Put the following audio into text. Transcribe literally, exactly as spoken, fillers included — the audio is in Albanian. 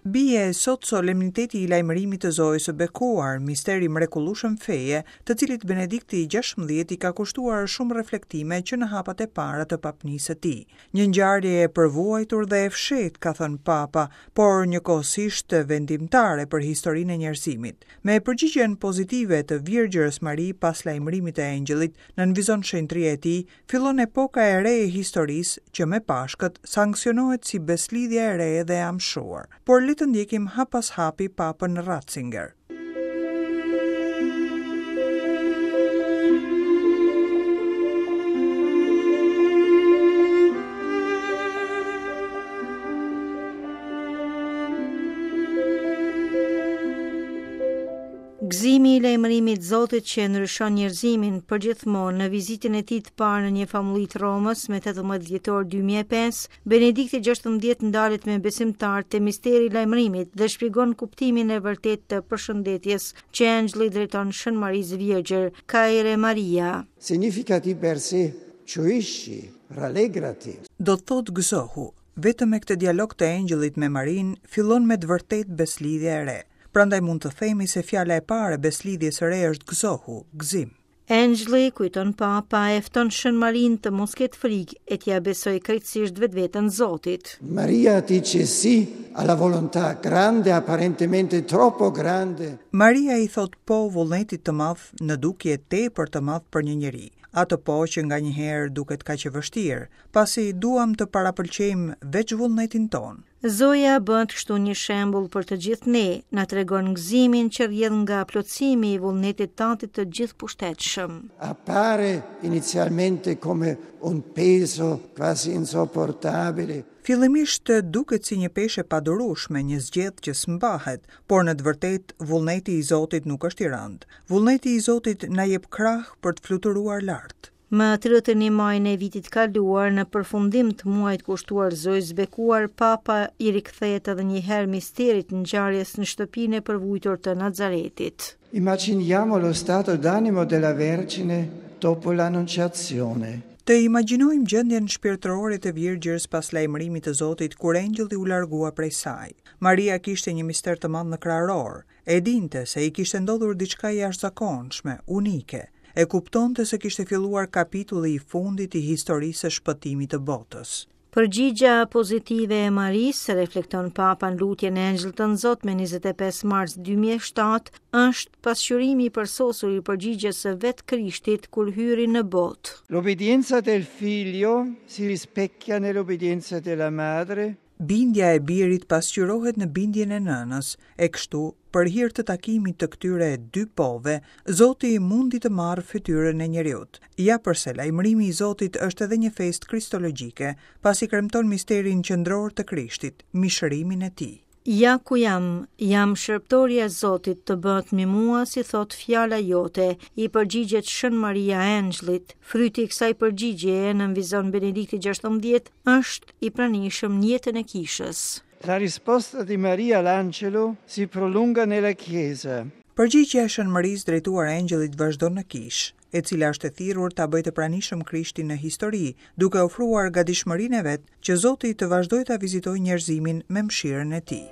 Bie sot solemniteti i lajmërimit të Zojës së Bekuar, mister i mrekullueshëm feje, të cilit Benedikti i gjashtëmbëdhjetë i ka kushtuar shumë reflektime që në hapat e para të papnisë së tij. Një ngjarje e përvuajtur dhe e fshehtë, ka thënë Papa, por njëkohësisht vendimtare për historinë e njerëzimit. Me përgjigjen pozitive të Virgjërës Mari pas lajmërimit të engjëllit, nënvizon shenjtëria e tij, fillon epoka e re e historisë që me Pashkët sanksionohet si beslidhja e re dhe e amshuar. Por le të ndjekim hap pas hapi Papën Ratzinger. Gëzimi i lajmërimit Zotit që ndryshon njerëzimin përgjithmonë në vizitën e tij të parë në një famulli të Romës me tetëmbëdhjetë dhjetor dy mijë e pesë, Benedikti gjashtëmbëdhjetë ndalet me besimtar te misteri i lajmërimit dhe shpjegon kuptimin e vërtetë të përshëndetjes që engjëlli drejton Shën Marisë Virgjër, Kyrie Maria. Significa di per sé gioisci, rallegrati. Do të thotë gëzohu. Vetëm me këtë dialog të engjëllit me Marinë fillon me të vërtetë beslidhja e re. Prandaj mund të themi se fjala e parë e beslidhjes së re është gëzohu, gëzim. Engjëlli, kujton Papa, e fton Shën Marinë të mos ketë frikë e t'ia besoj krejtësisht vetveten Zotit. Maria dice sì alla volontà grande, apparentemente troppo grande. Maria i thot po vullnetit të madh, në dukje tepër të madh për një njeri. Atë po që nganjëherë duket kaq e vështirë, pasi duam të parapëlqejmë veç vullnetin ton. Zoja bëhet kështu një shembull për të gjithë ne, na tregon gëzimin që rrjedh nga plotësimi i vullnetit Tatit të gjithëpushtetshëm. Appare inizialmente come un peso quasi insopportabile. Fillimisht duket si një peshë e padurueshme, një zgjedh që s'mbahet, por në të vërtetë vullneti i Zotit nuk është i rëndë. Vullneti i Zotit na jep krah për të fluturuar lart. Më tridhjetë e një majin e vitit kaluar, në përfundim të muajit kushtuar Zojës Bekuar, Papa i rikthehet edhe një herë misterit ngjarjes në shtëpinë e përvujtur të Nazaretit. Immaginiamo lo stato d'animo della Vergine dopo l'Annunciazione. Të imagjinojmë gjendjen shpirtërore të Virgjërës pas lajmërimit të Zotit kur engjëlli u largua prej saj. Maria kishte një mister të madh në kraror. E dinte se i kishte ndodhur diçka e jashtëzakonshme, unike. E kuptonte se kishte filluar kapitulli i fundit i historisë së shpëtimit të botës. Përgjigja pozitive e Marisë, reflekton Papa në lutjen e Engjëllit të Zot me njëzet e pesë mars dy mijë e shtatë, është pasqyrimi i përsosur i përgjigjes së vetë Krishtit kur hyri në botë. L'obbedienza del figlio si rispecchia nell'obbedienza della madre. Bindja e birit pasqyrohet në bindjen e nënës, e kështu, për hir të takimit të këtyre dy pove, Zoti mundi të marrë fytyrën e njeriut. Ja përse lajmërimi i Zotit është edhe një festë kristologjike, pasi kremton misterin qendror të Krishtit, mishërimin e tij. Ja ku jam, jam shërbëtorja e Zotit, të bëhet me mua si thot fjala jote, i përgjigjet Shën Maria Engjëllit. Fryti i kësaj përgjigjeje, nënvizon Benedikti gjashtëmbëdhjetë, është i pranishëm në jetën e kishës. La risposta di Maria all'angelo si prolunga nella Chiesa. Përgjigjja e Shën Marisë drejtuar engjëllit vazhdon në kishë, e cila është e thirrur ta bëjë të pranishëm Krishtin në histori, duke ofruar gatishmërinë e vet që Zoti të vazhdojë ta vizitojë njerëzimin me mëshirën e tij.